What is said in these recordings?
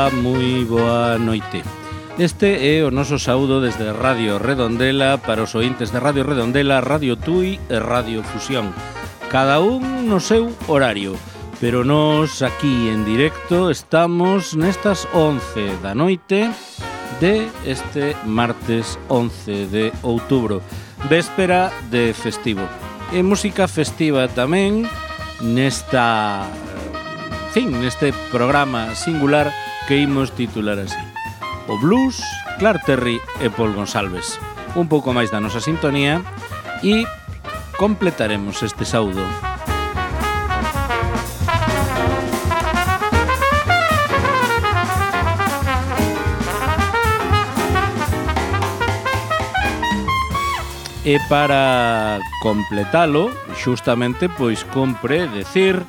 Ola, moi boa noite. Este é o noso saúdo desde Radio Redondela para os ointes de Radio Redondela, Radio Tui e Radio Fusión. Cada un no seu horario, pero nós aquí en directo estamos nestas 11 da noite de este martes 11 de outubro, véspera de festivo. E música festiva tamén neste programa singular que imos titular así: o blues, Clark Terry e Paul Gonsalves. Un pouco máis da nosa sintonía e completaremos este saúdo. E para completalo, xustamente, pois compre decir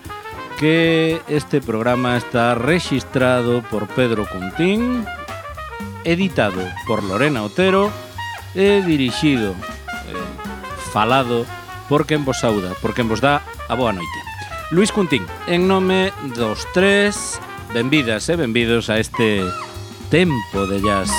que este programa está rexistrado por Pedro Cuntín, editado por Lorena Otero e dirixido, falado por quen vos sauda, por quen vos dá a boa noite. Luis Cuntín, en nome dos tres, benvidas e benvidos a este tempo de jazz.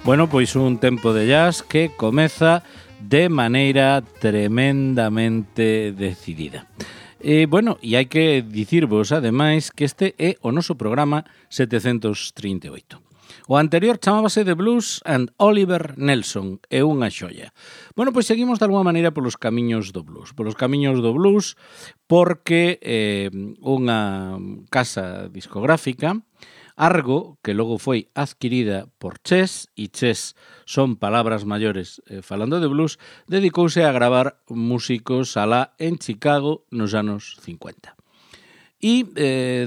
Bueno, pois un tempo de jazz que comeza de maneira tremendamente decidida. E hai que dicirvos, ademais, que este é o noso programa 738. O anterior chamábase The Blues and Oliver Nelson, é unha xoia. Bueno, pois seguimos de alguma maneira polos camiños do blues. Polos camiños do blues porque unha casa discográfica, Argo, que logo foi adquirida por Chess, e Chess son palabras maiores falando de blues, dedicouse a gravar músicos alá en Chicago nos anos 50. E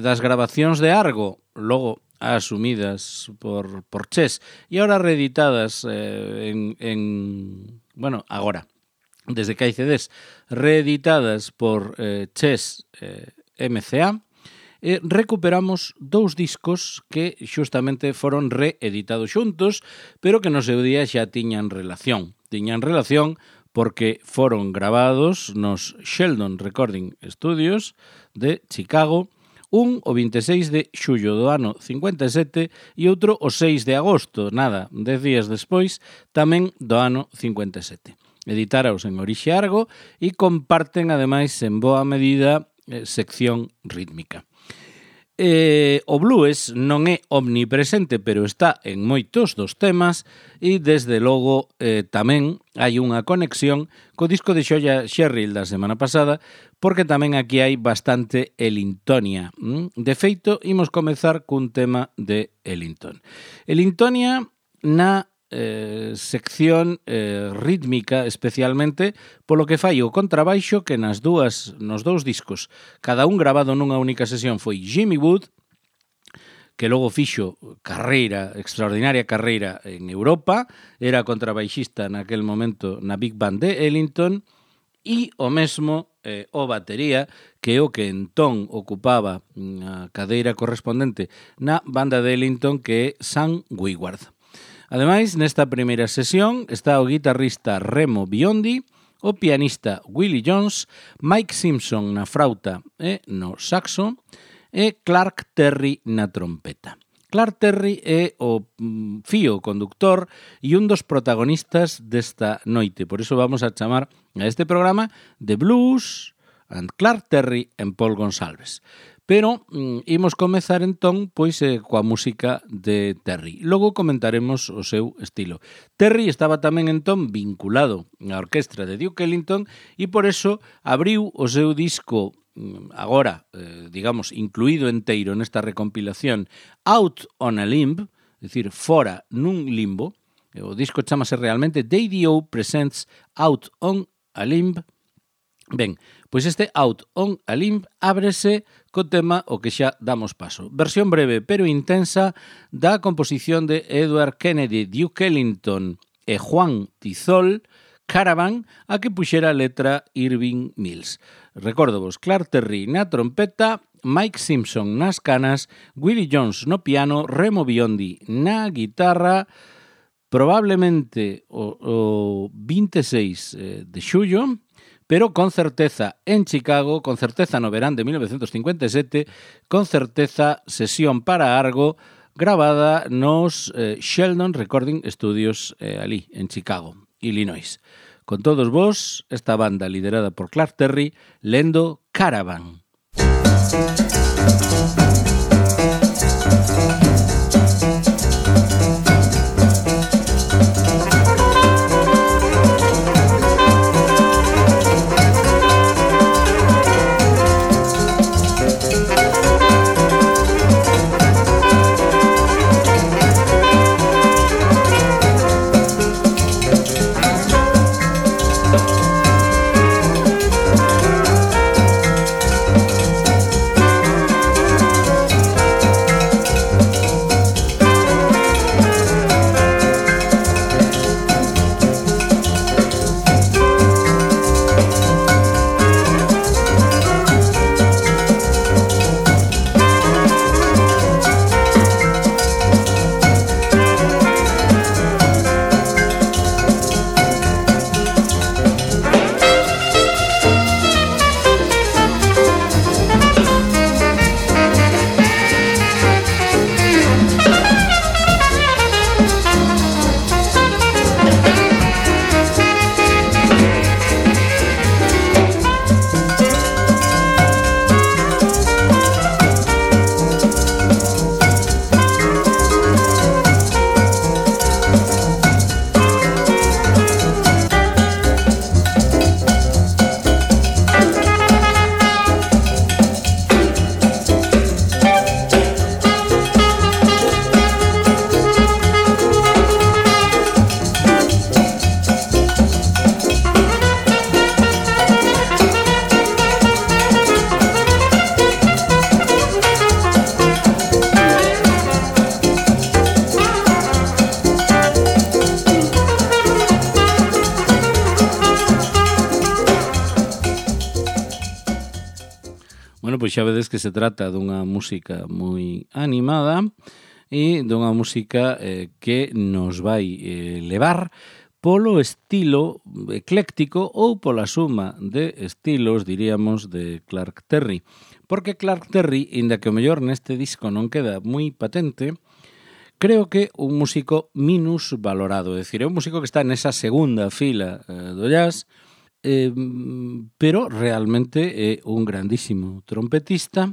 das grabacións de Argo, logo asumidas por Chess e ahora reeditadas agora, desde que hai CDs, reeditadas por Chess MCA, recuperamos dous discos que xustamente foron reeditados xuntos, pero que no seu día xa tiñan relación. Tiñan relación porque foron gravados nos Sheldon Recording Studios de Chicago, un o 26 de xullo do ano 57 e outro o 6 de agosto, 10 días despois, tamén do ano 57. Editaros en orixe Argo e comparten, ademais, en boa medida, sección rítmica. O blues non é omnipresente, pero está en moitos dos temas e, desde logo, tamén hai unha conexión co disco de Xoya Sherrill da semana pasada, porque tamén aquí hai bastante Ellingtonia. De feito, imos comezar cun tema de Ellington. Ellingtonia na sección rítmica, especialmente polo que fai o contrabaixo, que nos dous discos, cada un grabado nunha única sesión, foi Jimmy Wood, que logo fixo extraordinaria carreira en Europa, era contrabaixista naquel momento na Big Band de Ellington, e o mesmo o batería, que é o que entón ocupaba a cadeira correspondente na banda de Ellington, que é Sam Wigward. Ademais, nesta primeira sesión está o guitarrista Remo Biondi, o pianista Willie Jones, Mike Simpson na frauta e no saxo e Clark Terry na trompeta. Clark Terry é o fío conductor e un dos protagonistas desta noite. Por iso vamos a chamar a este programa The Blues and Clark Terry and Paul Gonsalves. Pero imos comezar entón coa música de Terry. Logo comentaremos o seu estilo. Terry estaba tamén entón vinculado á orquestra de Duke Ellington e por eso abriu o seu disco agora, incluído enteiro nesta recompilación Out on a Limb, é dicir, fora nun limbo. O disco chamase realmente DDO Presents Out on a Limb. Ben, pois este Out on a Limb ábrese co tema o que xa damos paso. Versión breve pero intensa da composición de Edward Kennedy, Duke Ellington e Juan Tizol, Caravan, a que puxera a letra Irving Mills. Recordo vos, Clark Terry na trompeta, Mike Simpson nas canas, Willie Jones no piano, Remo Biondi na guitarra, probablemente o 26 de xullo, pero con certeza en Chicago, con certeza no verán de 1957, con certeza sesión para Argo, grabada nos Sheldon Recording Studios ali, en Chicago, Illinois. Con todos vos, esta banda liderada por Clark Terry, lendo Caravan. Pois xa vedes que se trata dunha música moi animada e dunha música que nos vai levar polo estilo ecléctico ou pola suma de estilos, diríamos, de Clark Terry. Porque Clark Terry, inda que o mellor neste disco non queda moi patente, creo que un músico minus valorado. É dicir, é un músico que está nesa segunda fila do jazz, pero realmente é un grandísimo trompetista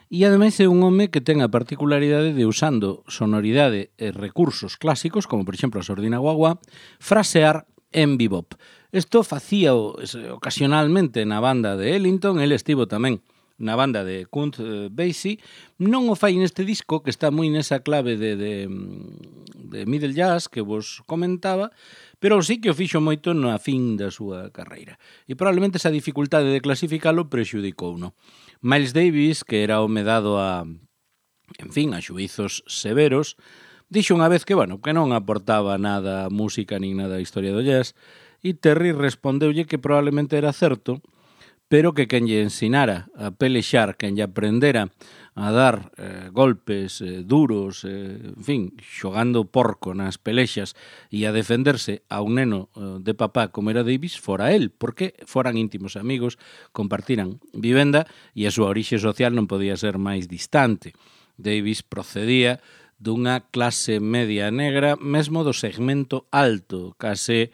e ademais é un home que ten a particularidade de, usando sonoridade e recursos clásicos, como por exemplo a sordina guagua, frasear en bebop. Isto facía ocasionalmente na banda de Ellington, el estivo tamén na banda de Count Basie, non o fai neste disco que está moi nesa clave de middle jazz que vos comentaba, pero sí que o fixo moito na fin da súa carreira. E probablemente esa dificultade de clasificalo prexudicouno. Miles Davis, que era homedado a xuizos severos, dixo unha vez que, que non aportaba nada a música nin nada a historia do jazz, e Terry respondeulle que probablemente era certo, pero que quen lle ensinara a pelexar, quen lle aprendera a dar golpes duros, xogando porco nas pelexas e a defenderse a un neno de papá como era Davis, fora él, porque foran íntimos amigos, compartiran vivenda e a súa orixe social non podía ser máis distante. Davis procedía dunha clase media negra, mesmo do segmento alto, case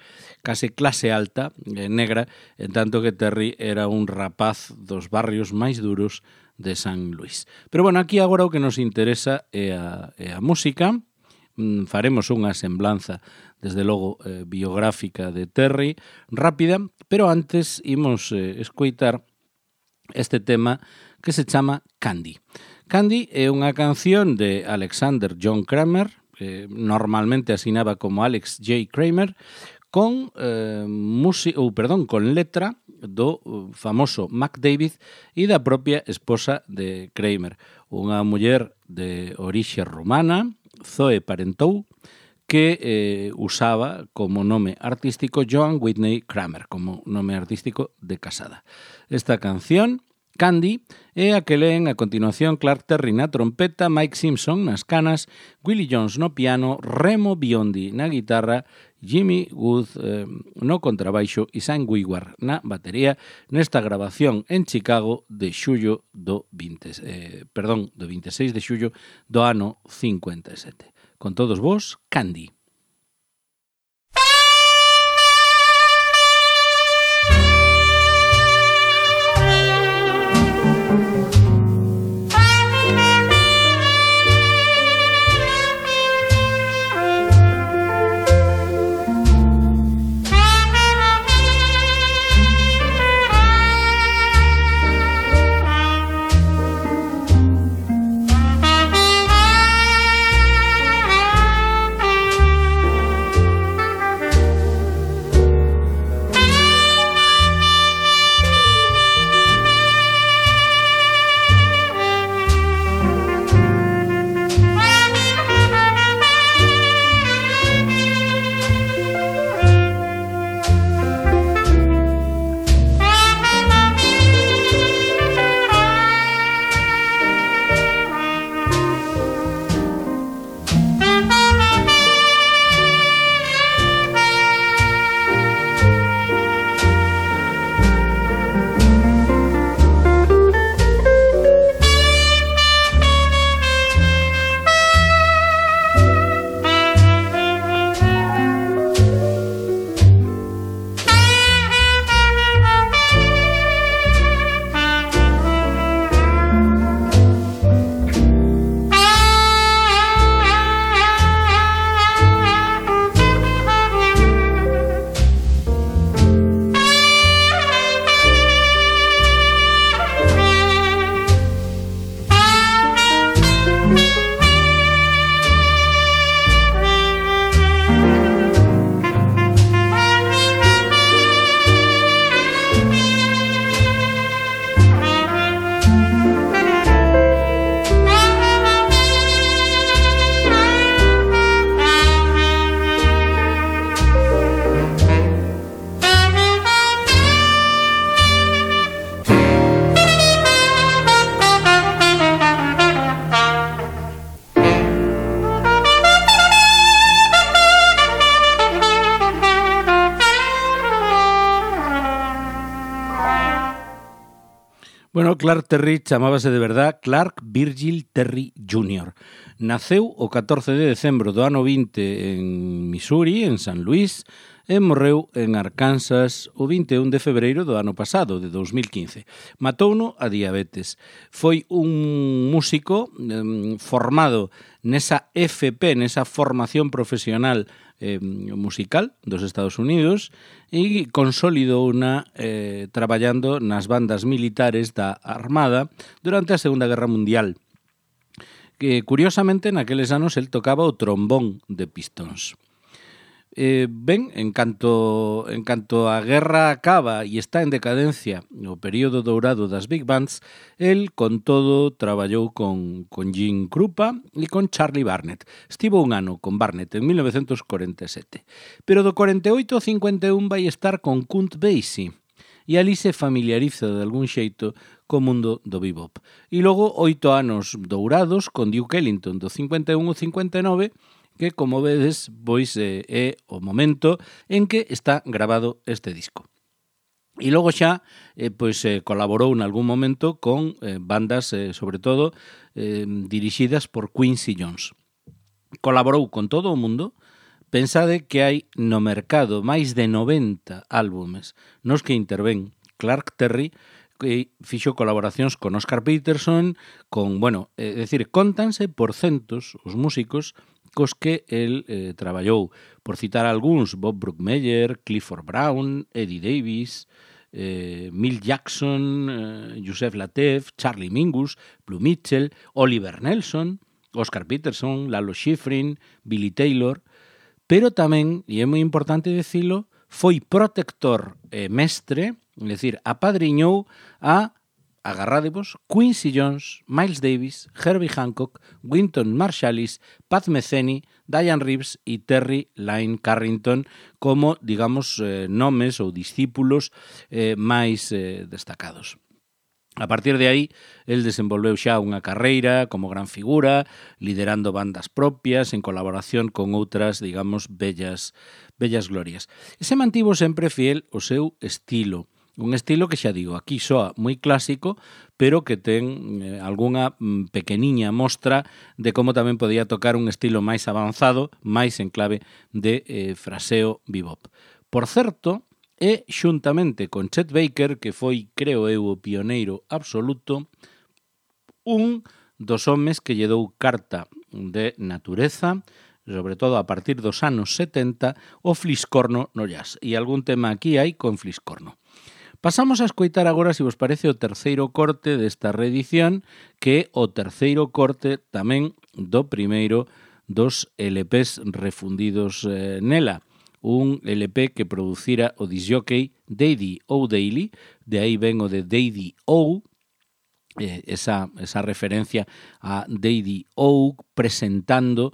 clase alta negra, en tanto que Terry era un rapaz dos barrios máis duros de San Luis. Pero aquí agora o que nos interesa é a música. Faremos unha semblanza, desde logo, biográfica de Terry, rápida, pero antes imos escoitar este tema que se chama Candy. Candy é unha canción de Alexander John Kramer, que normalmente asinaba como Alex J. Kramer, con letra do famoso Mac David e da propia esposa de Kramer, unha muller de orixe rumana, Zoe Parenteau, que usaba como nome artístico Joan Whitney Kramer, como nome artístico de casada. Esta canción, Candy, é a que leen a continuación Clark Terry na trompeta, Mike Simpson nas canas, Willie Jones no piano, Remo Biondi na guitarra, Jimmy Wood no contrabaixo e Sam Wigward na batería nesta grabación en Chicago de xullo do 26 de xullo do ano 57. Con todos vos, Candy. Bueno, Clark Terry chamábase de verdad Clark Virgil Terry Jr. Naceu o 14 de decembro do ano 20 en Missouri, en San Luis, e morreu en Arkansas o 21 de febreiro do ano pasado, de 2015. Matouno a diabetes. Foi un músico formado nesa FP, nesa formación profesional musical dos Estados Unidos e consolidou traballando nas bandas militares da Armada durante a Segunda Guerra Mundial. Que, curiosamente, naqueles anos el tocaba o trombón de pistons. Ben, en canto a guerra acaba e está en decadencia o período dourado das big bands, el, con todo, traballou con Gene Krupa e con Charlie Barnet. Estivo un ano con Barnet en 1947, pero do 48 ao 51 vai estar con Count Basie e ali se familiariza de algún xeito co mundo do bebop. E logo 8 anos dourados con Duke Ellington do 51 ao 59, que, como vedes, pois é o momento en que está grabado este disco. E logo xa colaborou en algún momento con bandas, sobre todo, dirixidas por Quincy Jones. Colaborou con todo o mundo. Pensade que hai no mercado máis de 90 álbumes nos que intervén Clark Terry, que fixo colaboracións con Oscar Peterson, cóntanse por centos os músicos cos que el traballou. Por citar algúns, Bob Brookmeyer, Clifford Brown, Eddie Davis, Milt Jackson, Joseph Lateef, Charlie Mingus, Blue Mitchell, Oliver Nelson, Oscar Peterson, Lalo Schifrin, Billy Taylor, pero tamén, e é moi importante dicilo, foi protector e mestre, é dicir, apadriñou a agarrádevos, Quincy Jones, Miles Davis, Herbie Hancock, Wynton Marsalis, Pat Metheny, Diane Reeves e Terry Lyne Carrington como, digamos, nomes ou discípulos máis destacados. A partir de aí, el desenvolveu xa unha carreira como gran figura, liderando bandas propias en colaboración con outras, digamos, bellas glorias. E se mantivo sempre fiel ao seu estilo. Un estilo que xa digo, aquí soa moi clásico, pero que ten algunha pequeniña mostra de como tamén podía tocar un estilo máis avanzado, máis en clave de fraseo bebop. Por certo, e xuntamente con Chet Baker, que foi, creo eu, o pioneiro absoluto, un dos homes que lle dou carta de natureza, sobre todo a partir dos anos 70, o fliscorno no jazz. E algún tema aquí hai con fliscorno. Pasamos a escoitar agora, se vos parece, o terceiro corte desta reedición, que é o terceiro corte tamén do primeiro dos LPs refundidos nela. Un LP que producira o disjockey Daddy O'Daly, de aí ven o de Daddy O, esa referencia a Daddy O presentando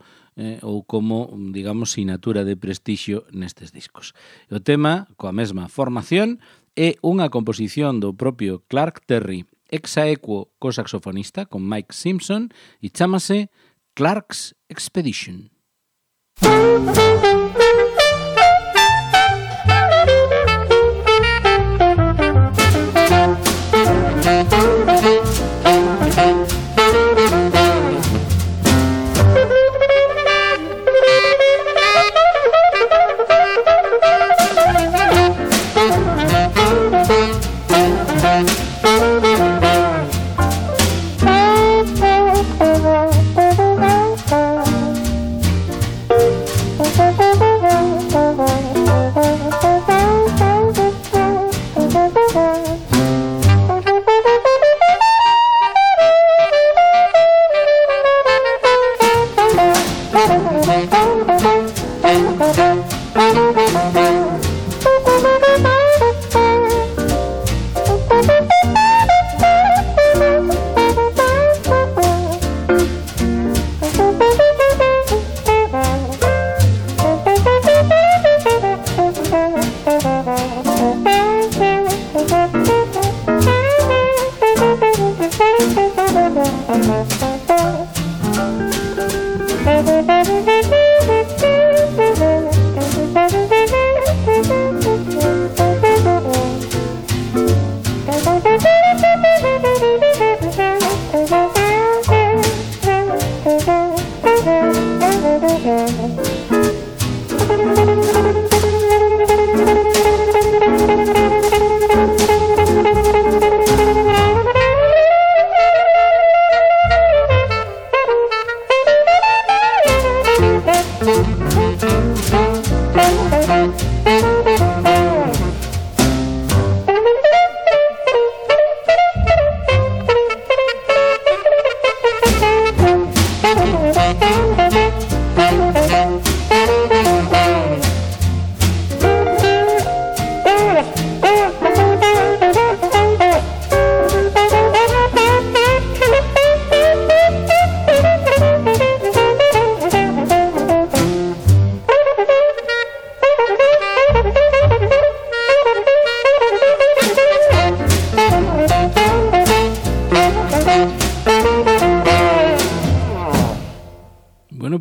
ou como, digamos, sinatura de prestixio nestes discos. O tema, coa mesma formación, é unha composición do propio Clark Terry, ex aequo co saxofonista, con Mike Simpson, e chámase Clark's Expedition.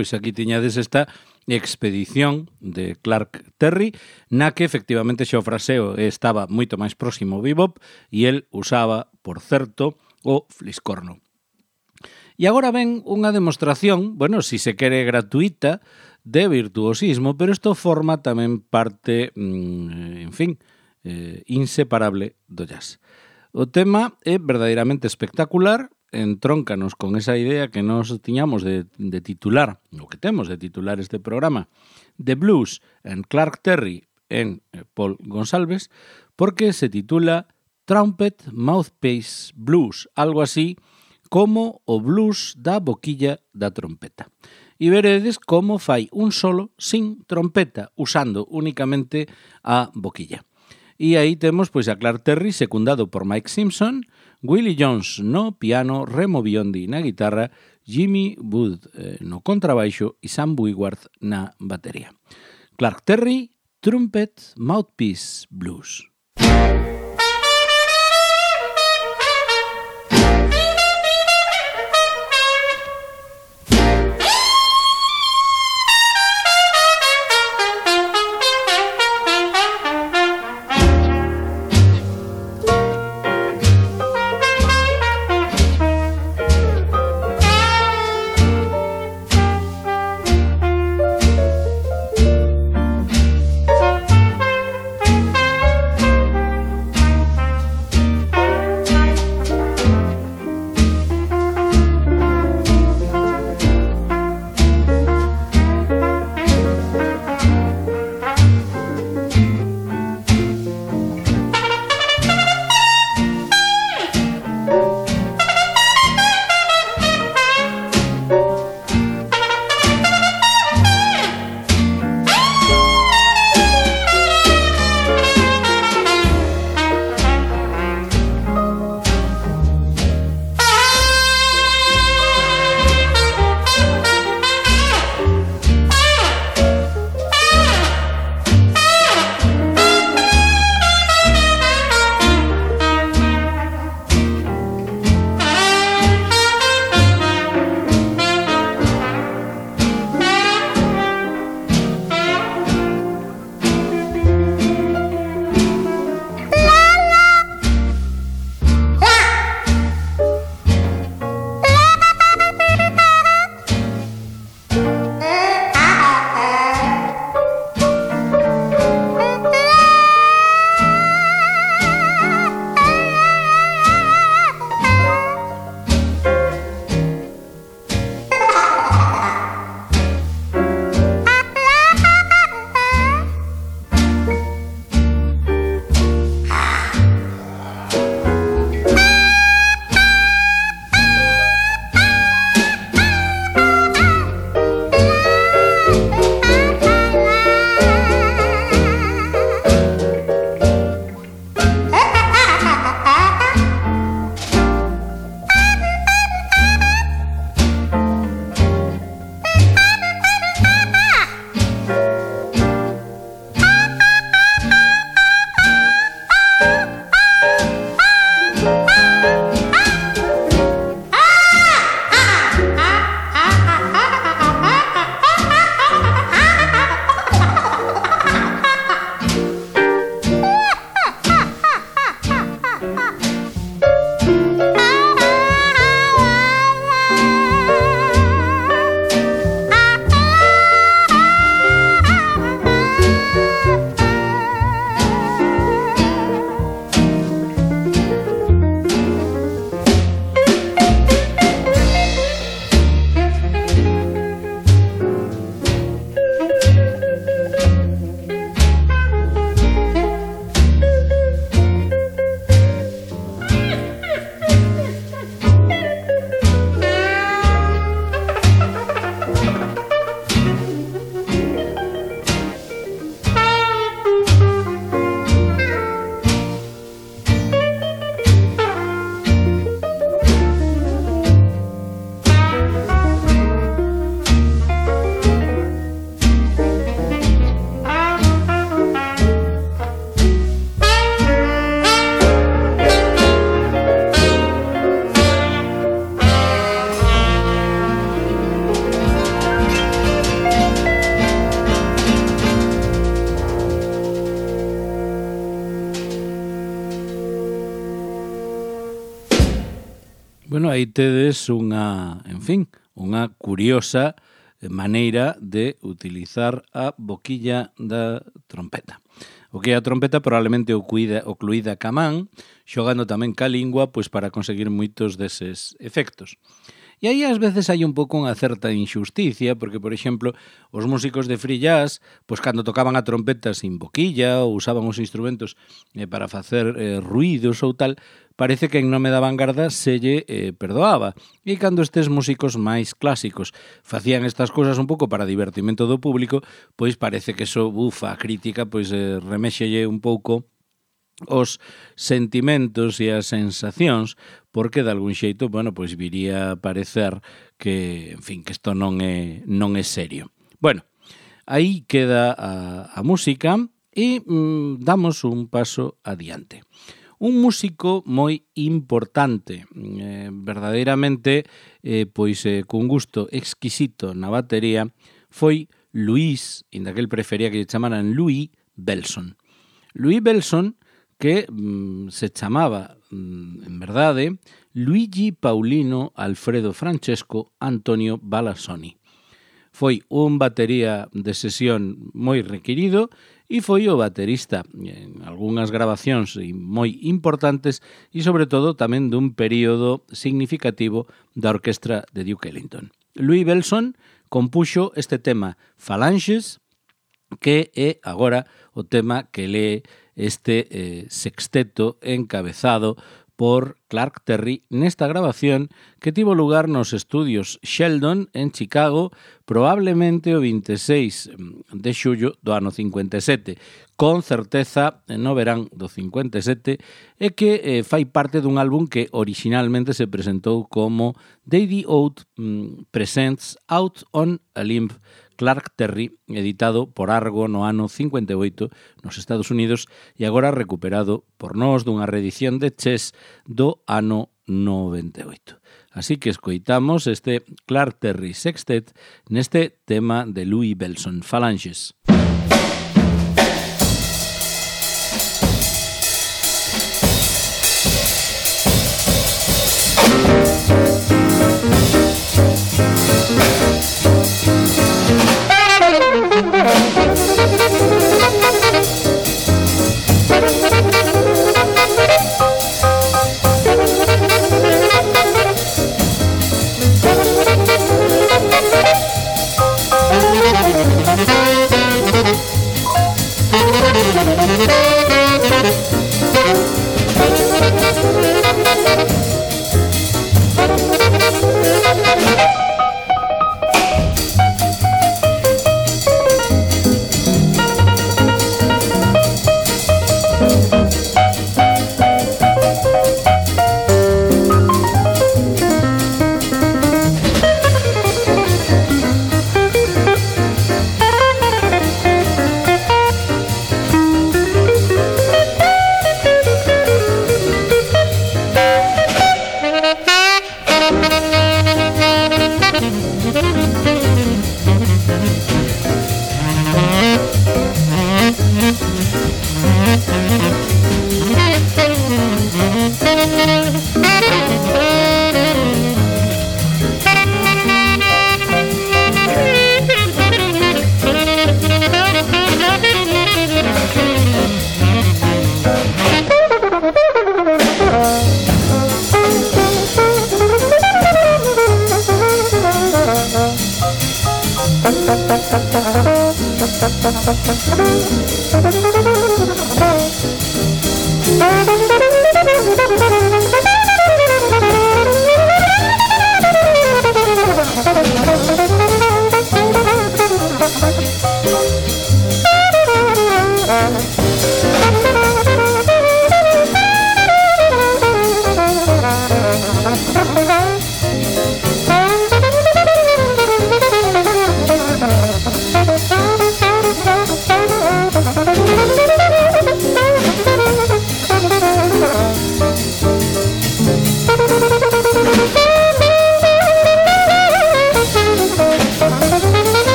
Pois aquí tiñades esta expedición de Clark Terry, na que efectivamente xa o fraseo estaba moito máis próximo ao bebop e el usaba, por certo, o fliscorno. E agora ven unha demostración, bueno, si se quere gratuita, de virtuosismo, pero isto forma tamén parte, en fin, inseparable do jazz. O tema é verdadeiramente espectacular, entróncanos con esa idea que nos tiñamos de titular, o que temos de titular este programa, The Blues en Clark Terry en Paul Gonsalves, porque se titula Trumpet Mouthpiece Blues, algo así como o blues da boquilla da trompeta. E veredes como fai un solo sin trompeta, usando únicamente a boquilla. E aí temos pois a Clark Terry secundado por Mike Simpson, Willie Jones no piano, Remo Biondi na guitarra, Jimmy Wood no contrabaixo e Sam Wigward na batería. Clark Terry, Trumpet, Mouthpiece Blues. Bueno, aí tedes unha curiosa maneira de utilizar a boquilla da trompeta. O que é a trompeta probablemente o cluída ca man, xogando tamén ca lingua, pois para conseguir moitos deses efectos. E aí ás veces hai un pouco unha certa injusticia, porque, por exemplo, os músicos de free jazz, pois cando tocaban a trompeta sin boquilla ou usaban os instrumentos para facer ruídos ou tal, parece que en nome da vanguarda se lle perdoaba. E cando estes músicos máis clásicos facían estas cousas un pouco para divertimento do público, pois parece que eso, a crítica, pois reméxelle un pouco os sentimentos e as sensacións, porque de algún xeito, bueno, pois viría a parecer que, en fin, que isto non é serio. Bueno, aí queda a música e damos un paso adiante. Un músico moi importante, verdadeiramente, pois cun gusto exquisito na batería, foi Louis, inda que el prefería que lle chamaran Louis Bellson. Louis Bellson, que se chamaba, en verdade, Luigi Paulino Alfredo Francesco Antonio Balassoni. Foi un batería de sesión moi requirido e foi o baterista en algunhas grabacións moi importantes e, sobre todo, tamén dun período significativo da orquestra de Duke Ellington. Louis Bellson compuxo este tema Phalanges, que é agora o tema que lee este sexteto encabezado por Clark Terry nesta grabación que tivo lugar nos estudios Sheldon en Chicago probablemente o 26 de xullo do ano 57, con certeza no verán do 57, e que fai parte dun álbum que originalmente se presentou como Daddy Oat Presents Out on a Limb Clark Terry, editado por Argo no ano 58 nos Estados Unidos e agora recuperado por nós dunha reedición de Chess do ano 98. Así que escoitamos este Clark Terry Sextet neste tema de Louis Bellson, Phalanges.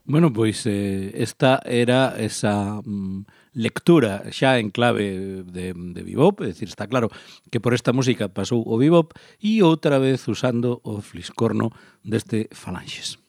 Bueno, pois esta era esa lectura xa en clave de bebop, é dicir, está claro que por esta música pasou o bebop e outra vez usando o fliscorno deste Phalanges.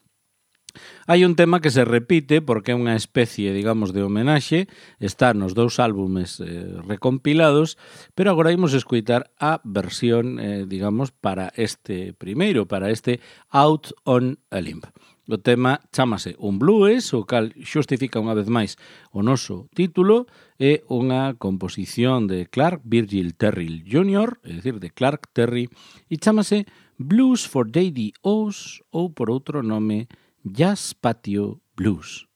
Hai un tema que se repite porque é unha especie, digamos, de homenaxe, está nos dous álbumes recompilados, pero agora imos escoitar a versión, digamos, para este primeiro, para este Out on a Limb. O tema chámase Un Blues, o cal xustifica unha vez máis o noso título, é unha composición de Clark Virgil Terry Jr., é dicir, de Clark Terry, e chámase Blues for Daddy O's, ou por outro nome, Jazz Patio Blues.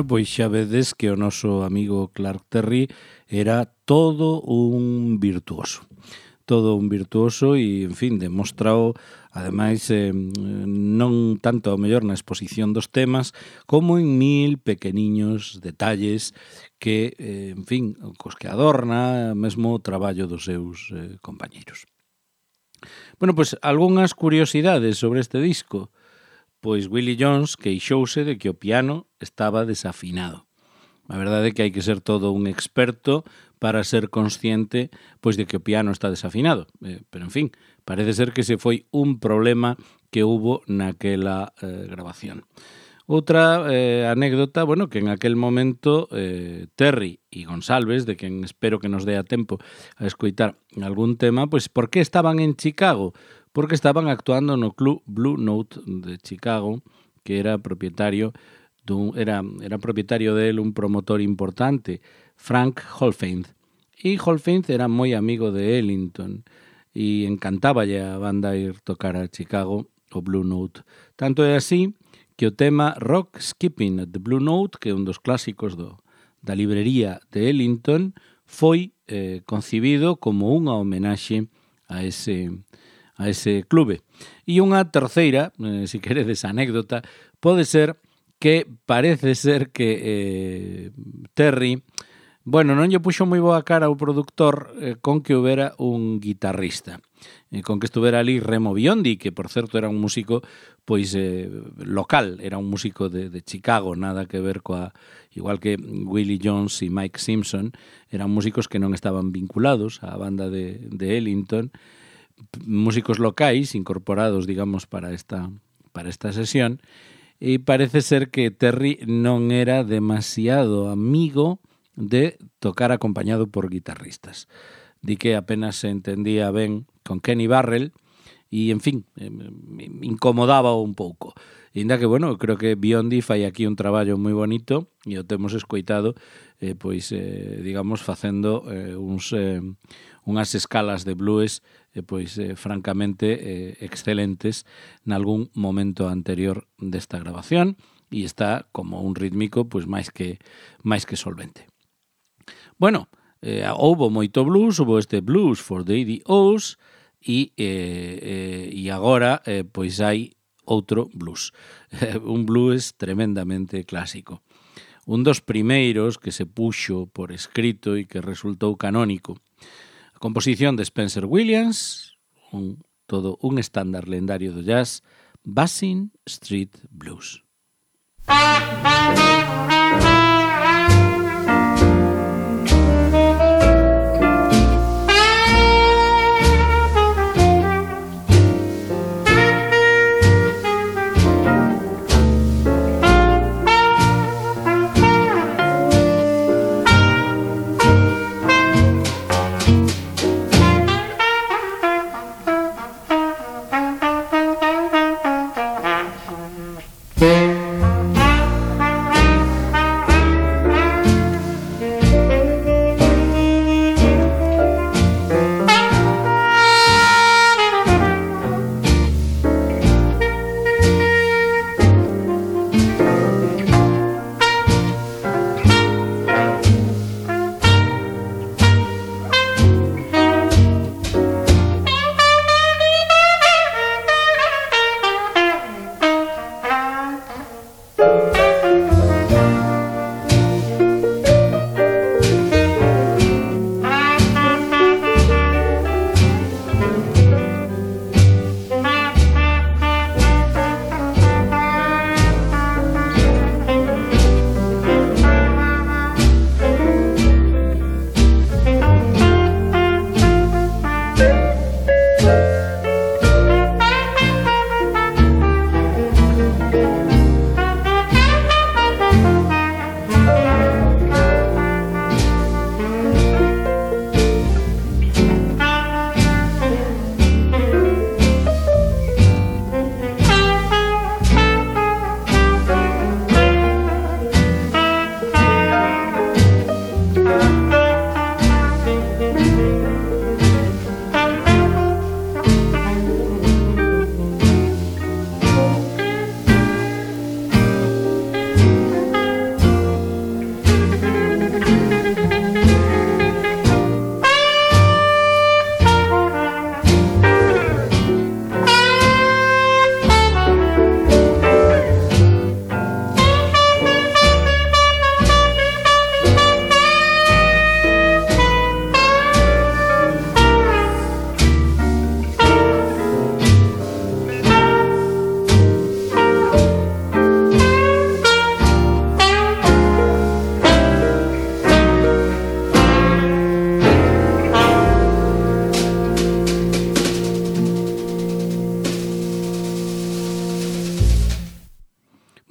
Bueno, pois xa vedes que o noso amigo Clark Terry era todo un virtuoso. Todo un virtuoso e, en fin, demostrao, ademais, non tanto ao mellor na exposición dos temas, como en mil pequeniños detalles que, en fin, cos que adorna mesmo o traballo dos seus compañeiros. Bueno, pois, algunhas curiosidades sobre este disco. Pois Willie Jones queixouse de que o piano estaba desafinado. A verdade é que hai que ser todo un experto para ser consciente pois de que o piano está desafinado. Pero, en fin, parece ser que ese foi un problema que hubo naquela grabación. Outra anécdota, bueno, que en aquel momento Terry e Gonsalves, de quen espero que nos dé a tempo a escoitar algún tema, pois por que estaban en Chicago? Porque estaban actuando no Club Blue Note de Chicago, que era propietario era propietario de él un promotor importante, Frank Holfeind. E Holfeind era moi amigo de Ellington e encantáballe a banda ir tocar a Chicago o Blue Note. Tanto é así que o tema Rock Skipping at the Blue Note, que é un dos clásicos da librería de Ellington, foi concibido como unha homenaxe a ese clube. E unha terceira, se queredes anécdota, pode ser que parece ser que Terry, bueno, non lle puxo moi boa cara ao produtor con que houbera un guitarrista, con que estuvera ali Remo Biondi, que por certo era un músico pois local, era un músico de Chicago, nada que ver igual que Willie Jones e Mike Simpson, eran músicos que non estaban vinculados á banda de Ellington, músicos locais incorporados, digamos, para esta sesión, e parece ser que Terry non era demasiado amigo de tocar acompañado por guitarristas. Di que apenas se entendía ben con Kenny Barrell e, en fin, incomodaba un pouco. E ainda que, bueno, creo que Biondi fai aquí un traballo moi bonito e o temos escoitado, digamos, facendo unhas escalas de blues francamente excelentes nalgún momento anterior desta grabación e está como un rítmico pois máis que solvente. Bueno, houbo moito blues, houbo este Blues for the ADOs e agora pois hai outro blues, un blues tremendamente clásico. Un dos primeiros que se puxo por escrito e que resultou canónico. A composición de Spencer Williams, todo un estándar lendario do jazz, Basin Street Blues.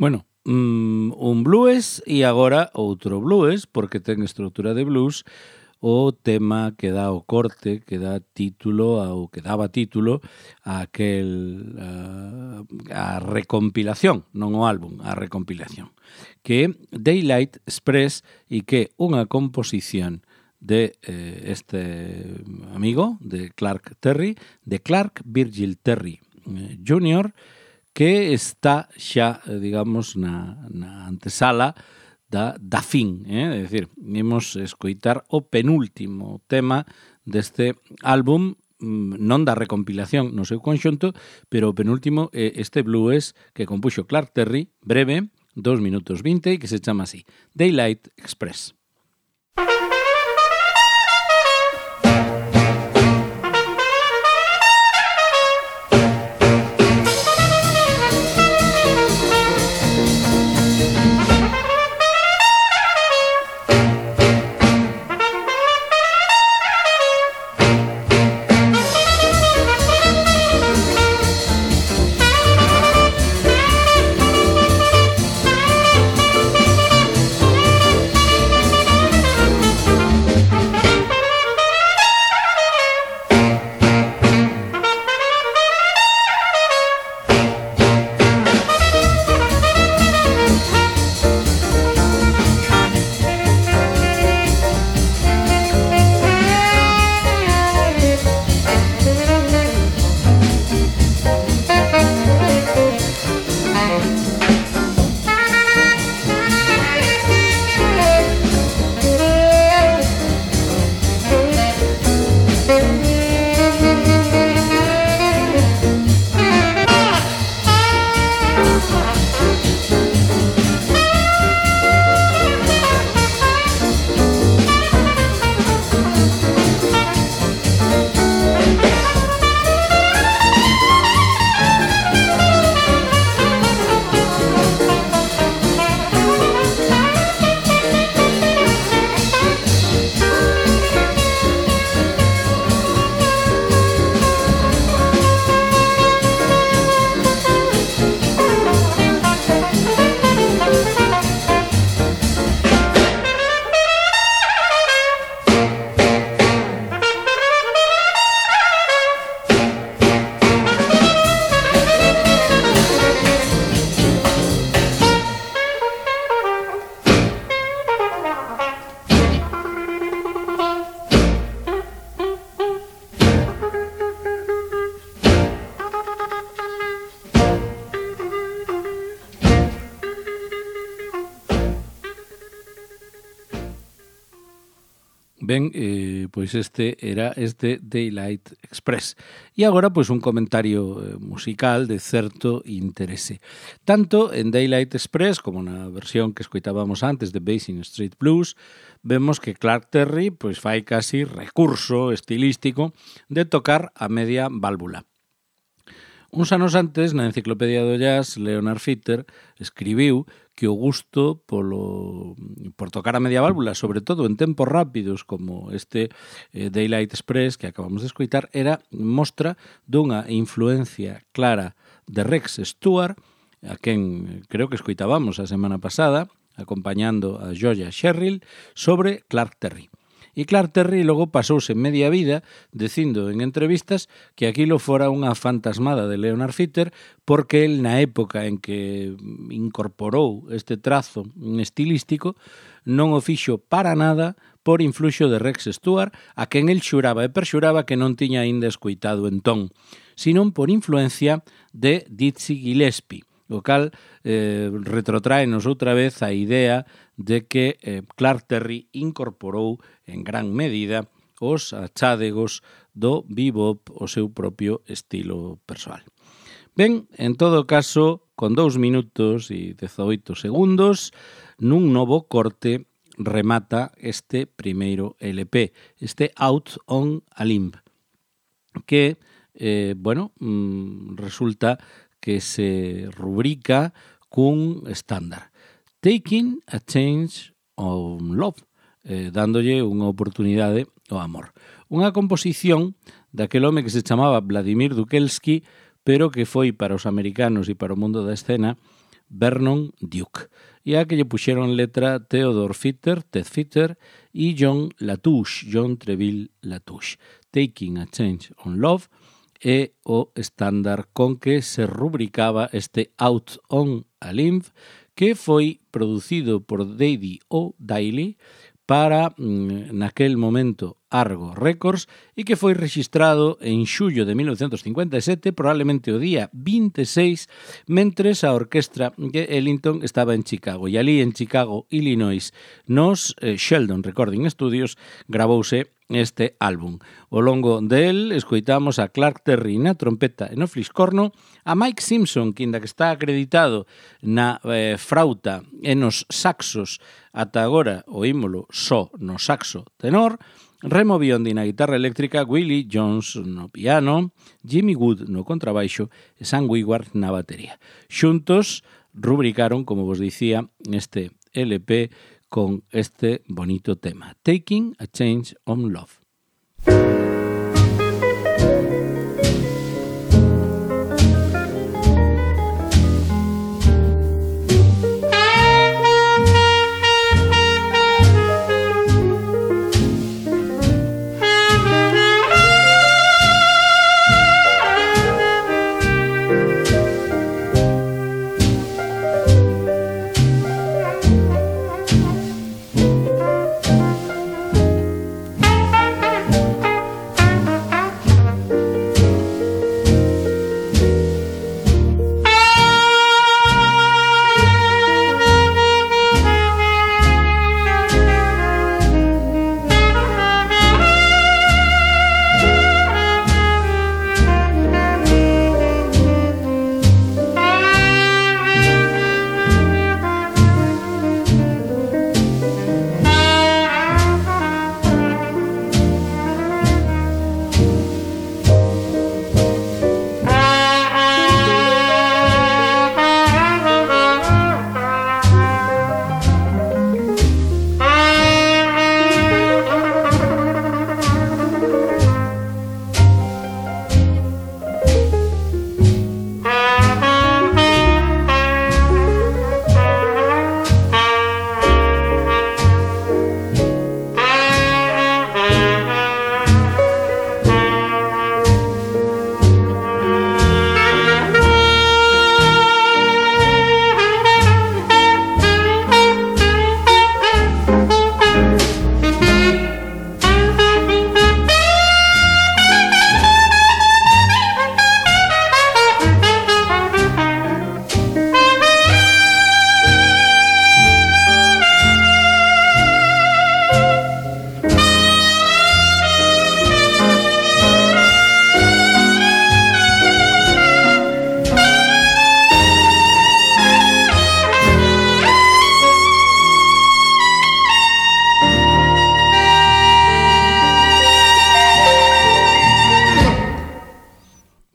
Bueno, un blues e agora outro blues, porque ten estrutura de blues, o tema que dá o corte, que dá título, ou que daba título a recompilación, non o álbum, a recompilación, que é Daylight Express e que é unha composición de este amigo, de Clark Terry, de Clark Virgil Terry Jr., que está xa, digamos, na antesala da fin, é dicir, imos escoitar o penúltimo tema deste álbum, non da recompilación no seu conxunto, pero o penúltimo é este blues que compuxo Clark Terry, breve, 2 minutos 20, que se chama así, Daylight Express. Ben, pois este era este Daylight Express. E agora, pois, un comentario musical de certo interese. Tanto en Daylight Express como na versión que escoitábamos antes de Basin Street Blues, vemos que Clark Terry pois fai casi recurso estilístico de tocar a media válvula. Uns anos antes, na Enciclopedia do Jazz, Leonard Feather escribiu que o gusto por tocar a media válvula, sobre todo en tempos rápidos como este Daylight Express que acabamos de escoitar, era mostra dunha influencia clara de Rex Stewart, a quen creo que escoitábamos a semana pasada, acompañando a Joya Sherrill, sobre Clark Terry. E Clark Terry logo pasouse media vida dicindo en entrevistas que aquilo fora unha fantasmada de Leonard Feather porque el na época en que incorporou este trazo estilístico non o fixo para nada por influxo de Rex Stewart, a quen el xuraba e perxuraba que non tiña aínda escoitado entón, senón por influencia de Dizzy Gillespie, o cal retrotraenos outra vez a idea de que Clark Terry incorporou en gran medida os achádegos do bebop o seu propio estilo persoal. Ben, en todo caso, con 2 minutos e 18 segundos, nun novo corte remata este primeiro LP, este Out on a Limb, que, resulta que se rubrica cun estándar. Taking a Chance on Love, dándolle unha oportunidade ao amor. Unha composición daquel home que se chamaba Vladimir Dukelsky, pero que foi para os americanos e para o mundo da escena Vernon Duke. E a que lle puxeron letra Theodore Fitter, Ted Fitter, e John Latouche, John Treville Latouche. Taking a Change on Love é o estándar con que se rubricaba este Out on a Limb, que foi producido por Daddy O'Daly para, naquel momento, Argo Records, e que foi rexistrado en xullo de 1957, probablemente o día 26, mentres a orquestra de Ellington estaba en Chicago. E ali en Chicago, Illinois, nos Sheldon Recording Studios, gravouse este álbum. Ao longo del escoitamos a Clark Terry na trompeta e no fliscorno, a Mike Simpson, que ainda que está acreditado na frauta e nos saxos, ata agora oímolo só no saxo tenor, Remo Biondi na guitarra eléctrica, Willie Jones no piano, Jimmy Wood no contrabaixo e Sam Wigward na batería. Xuntos rubricaron, como vos dicía, este LP con este bonito tema, Taking a Change on Love.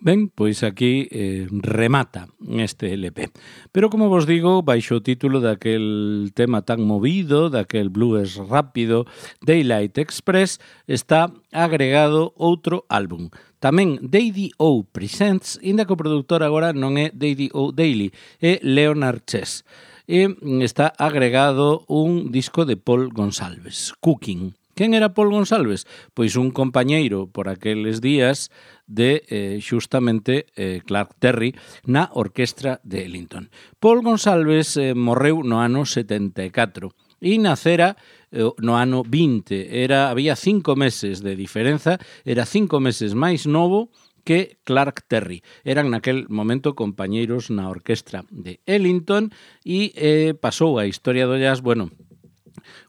Ben, pois aquí remata este LP. Pero, como vos digo, baixo o título daquel tema tan movido, daquel blues rápido, Daylight Express, está agregado outro álbum. Tamén Daddy O Presents, inda que o produtor agora non é Daddy O'Daly, é Leonard Chess. E está agregado un disco de Paul Gonsalves, Cooking. Quen era Paul Gonsalves? Pois un compañeiro por aqueles días de xustamente Clark Terry na orquestra de Ellington. Paul Gonsalves morreu no ano 74 e nacera no ano 20. Había 5 meses de diferenza, era 5 meses máis novo que Clark Terry. Eran naquel momento compañeiros na orquestra de Ellington e pasou a historia do jazz, bueno,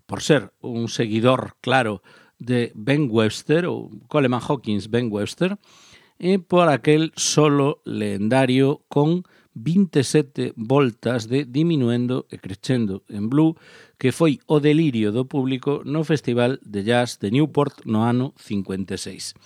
por ser un seguidor claro de Ben Webster, ou Coleman Hawkins Ben Webster, e por aquel solo legendario con 27 voltas de diminuendo e crescendo en blue, que foi o delirio do público no Festival de Jazz de Newport no ano 56.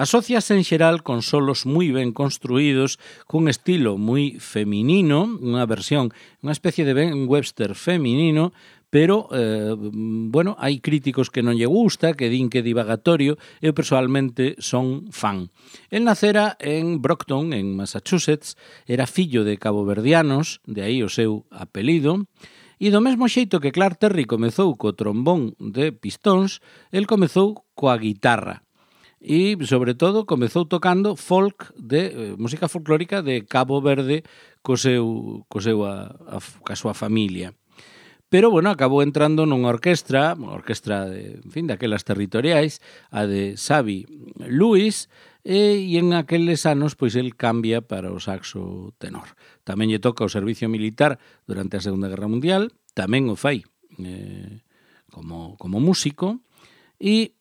Asociase en xeral con solos moi ben construídos, cun estilo moi feminino, unha versión, unha especie de Ben Webster feminino, pero, bueno, hai críticos que non lle gusta, que din que é divagatorio, eu personalmente son fan. El nacera en Brockton, en Massachusetts, era fillo de caboverdianos, de aí o seu apelido, e do mesmo xeito que Clark Terry comezou co trombón de pistóns, el comezou coa guitarra. E, sobre todo, comezou tocando folk de música folclórica de Cabo Verde coa súa familia. Pero, bueno, acabou entrando nunha orquestra de, en fin, daquelas territoriais, a de Xavi Lewis, e en aqueles anos, pois, el cambia para o saxo tenor. Tamén lle toca o servicio militar durante a Segunda Guerra Mundial, tamén o fai como músico, e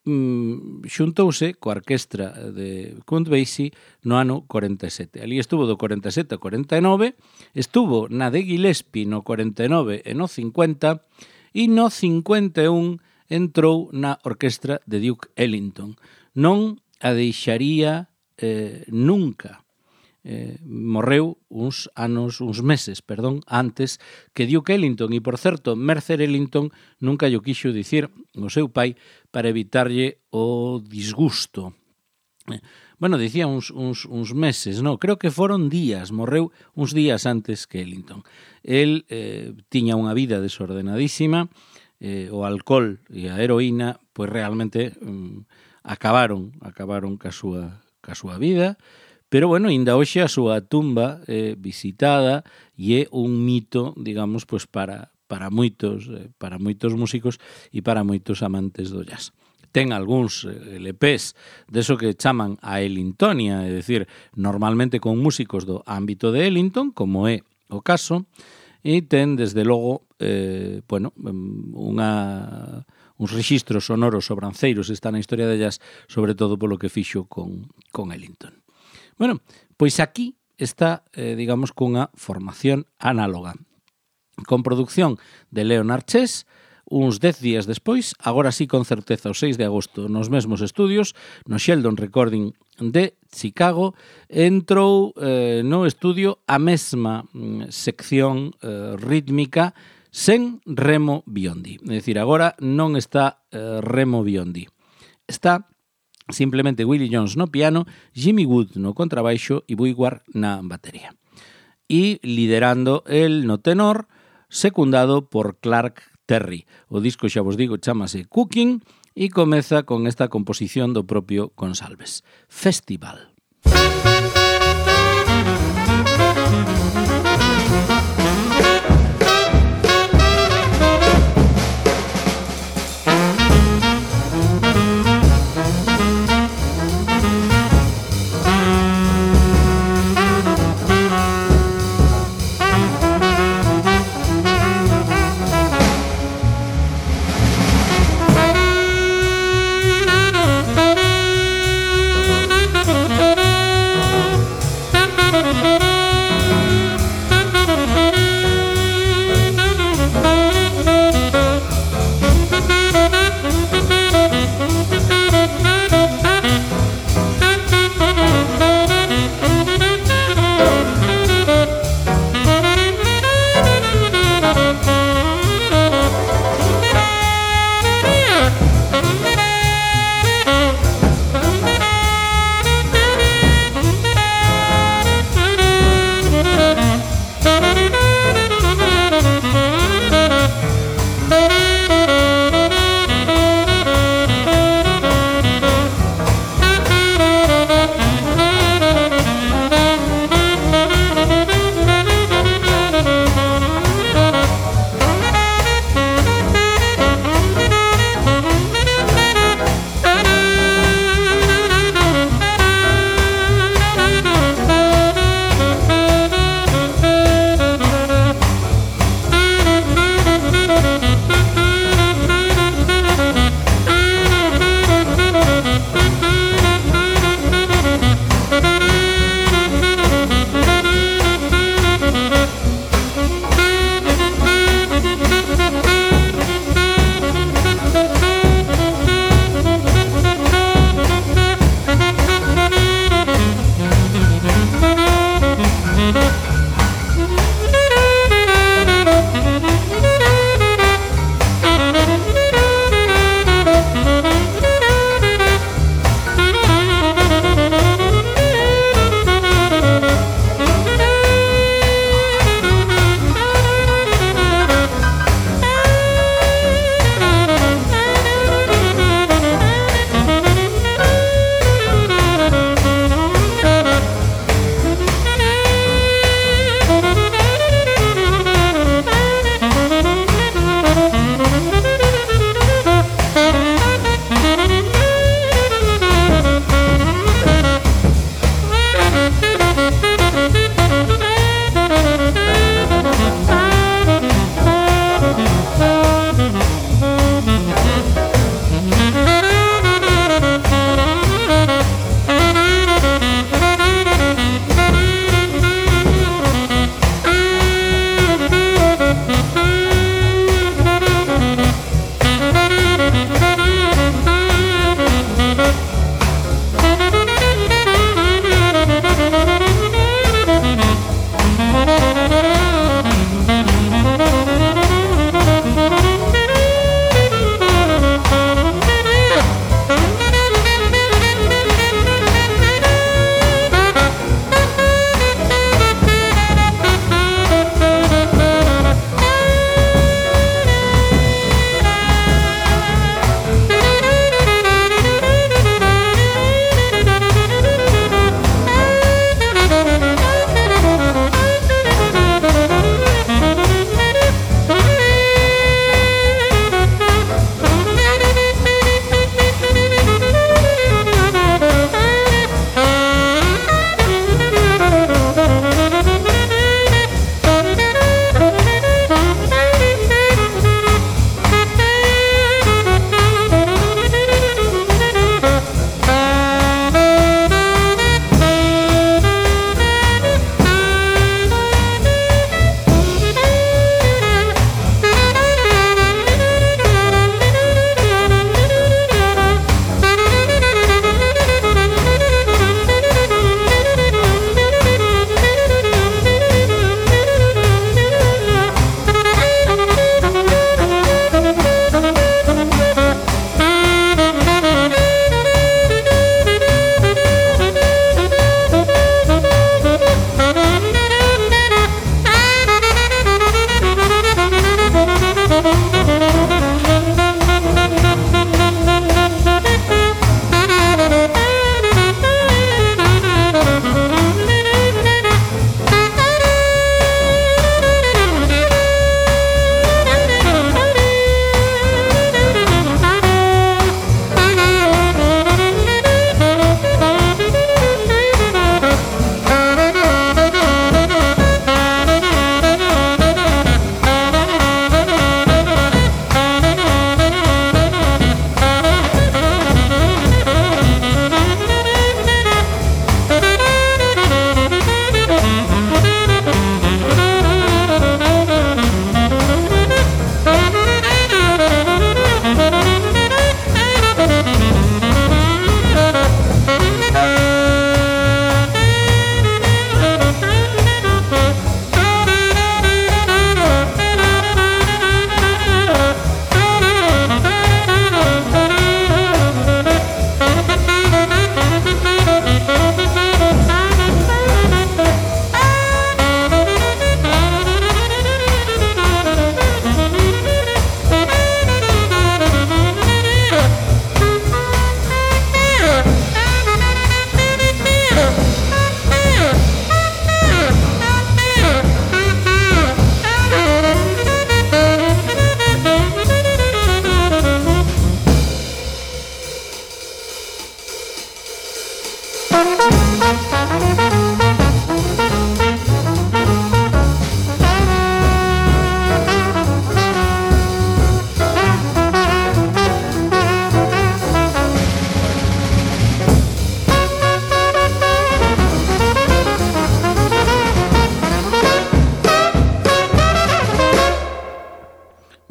xuntouse coa orquestra de Count Basie no ano 47. Ali estuvo do 47 ao 49, estuvo na de Gillespie no 49 e no 50, e no 51 entrou na orquestra de Duke Ellington. Non a deixaría nunca. Morreu uns meses antes que Duke Ellington, e por certo, Mercer Ellington nunca lle quixo dicir o seu pai para evitarlle o disgusto. Bueno, dicía uns meses, no, creo que foron días, morreu uns días antes que Ellington. El tiña unha vida desordenadísima, o alcohol e a heroína, pois realmente acabaron ca súa vida. Pero, bueno, ainda hoxe a súa tumba é visitada e é un mito, digamos, pois para moitos músicos e para moitos amantes do jazz. Ten algúns LPs deso que chaman a Ellingtonia, é dicir, normalmente con músicos do ámbito de Ellington, como é o caso, e ten, desde logo, bueno, uns rexistros sonoros sobranceiros, está na historia de jazz, sobre todo polo que fixo con Ellington. Bueno, pois aquí está, digamos, cunha formación análoga, con produción de Leonard Chess, uns 10 días despois, agora sí con certeza o 6 de agosto, nos mesmos estudios, no Sheldon Recording de Chicago, entrou no estudio a mesma sección rítmica sen Remo Biondi. É dicir, agora non está Remo Biondi. Está simplemente Willie Jones no piano, Jimmy Wood no contrabaixo e Buiwar na batería. E liderando el no tenor, secundado por Clark Terry. O disco, xa vos digo, chamase Cooking e comeza con esta composición do propio Gonsalves. Festival.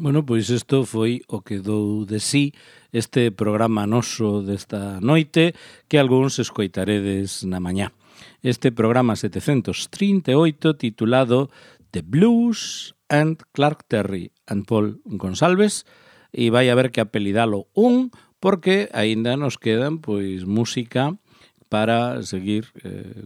Bueno, pois isto foi o que dou de sí este programa noso desta noite que algúns escoitaredes na mañá. Este programa 738 titulado The Blues and Clark Terry and Paul Gonsalves, e vai haber que apelidalo porque aínda nos quedan pois música para seguir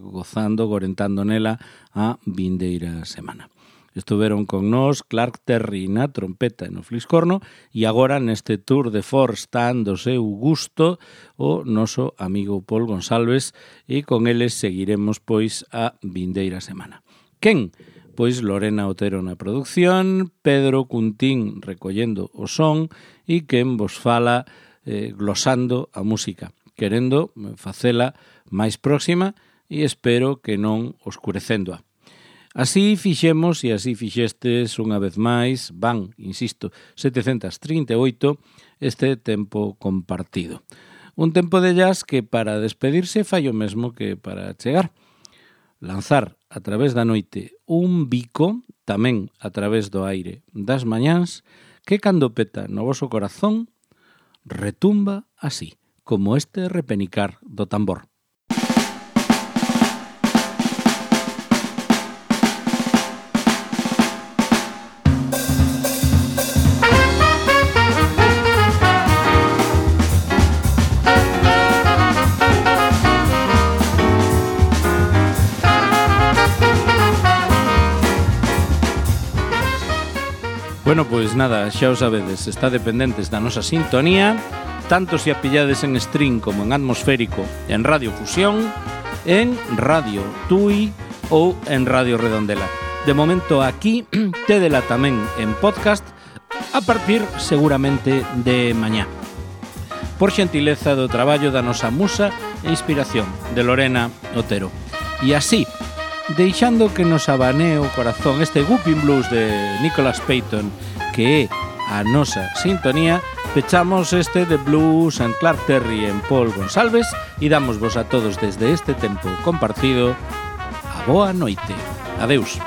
gozando, gorentando nela a vindeira semana. Estuveron con nós Clark Terry na trompeta e no fliscorno e agora neste tour de force tan do seu gusto o noso amigo Paul Gonsalves e con eles seguiremos pois a vindeira semana. Quen? Pois Lorena Otero na producción, Pedro Cuntín recollendo o son e quen vos fala glosando a música, querendo facela máis próxima e espero que non oscurecéndoa. Así fixemos e así fixestes unha vez máis, insisto, 738 este tempo compartido. Un tempo de jazz que para despedirse fai o mesmo que para chegar. Lanzar a través da noite un bico, tamén a través do aire das mañáns, que cando peta no voso corazón retumba así, como este repenicar do tambor. Bueno, pois nada, xa o sabedes, está dependentes da nosa sintonía, tanto se a pillades en stream como en atmosférico, en Radio Fusión, en Radio Tui ou en Radio Redondela. De momento aquí, tédela tamén en podcast, a partir seguramente de mañá. Por xentileza do traballo da nosa musa e inspiración, de Lorena Otero. E así, deixando que nos abanee o corazón este Whooping Blues de Nicholas Payton, que é a nosa sintonía, pechamos este de Blues and Clark Terry en Paul Gonsalves e damos vos a todos desde este tempo compartido a boa noite. Adeus.